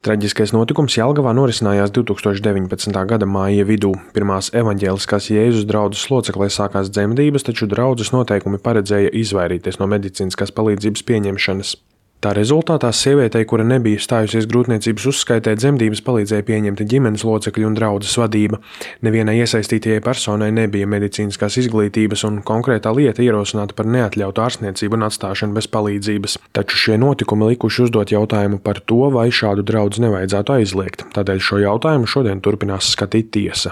Traģiskais notikums Jelgavā norisinājās 2019. gada māja vidū. Pirmās evaņģēliskās Jēzus draudzes loceklē sākās dzemdības, taču draudzes noteikumi paredzēja izvairīties no medicīniskās palīdzības pieņemšanas. Tā rezultātā sievietei, kura nebija stājusies grūtniecības uzskaitē, dzemdības palīdzēja pieņemt ģimenes locekļi un draudzes vadība. Nevienai iesaistītajai personai nebija medicīniskās izglītības, un konkrētā lieta ierosināta par neatļautu ārstniecību un atstāšanu bez palīdzības. Taču šie notikumi likuši uzdot jautājumu par to, vai šādu draudzi nevajadzētu aizliegt. Tādēļ šo jautājumu šodien turpinās skatīt tiesa.